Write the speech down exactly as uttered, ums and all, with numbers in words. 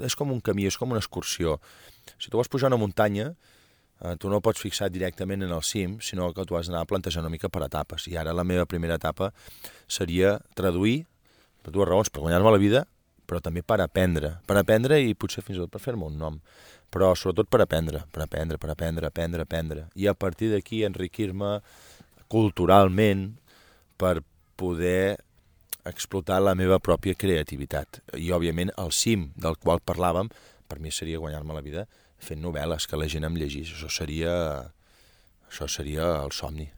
és com un camí, és com una excursió. Si tu vols pujar una muntanya, eh, tu no pots fixar directament en el cim, sinó que tu has d'anar plantejant una mica per etapes. I ara la meva primera etapa seria traduir, per dues raons, per guanyar-me la vida, però també per aprendre. Per aprendre i potser fins i tot per fer-me un nom. Però sobretot per aprendre, per aprendre, per aprendre, aprendre, aprendre. I a partir d'aquí enriquir-me culturalment per poder explotar la meva pròpia creativitat. I, òbviament, el cim del qual parlàvem, per mi seria guanyar-me la vida fent novel·les, que la gent em llegís. Això seria, això seria el somni.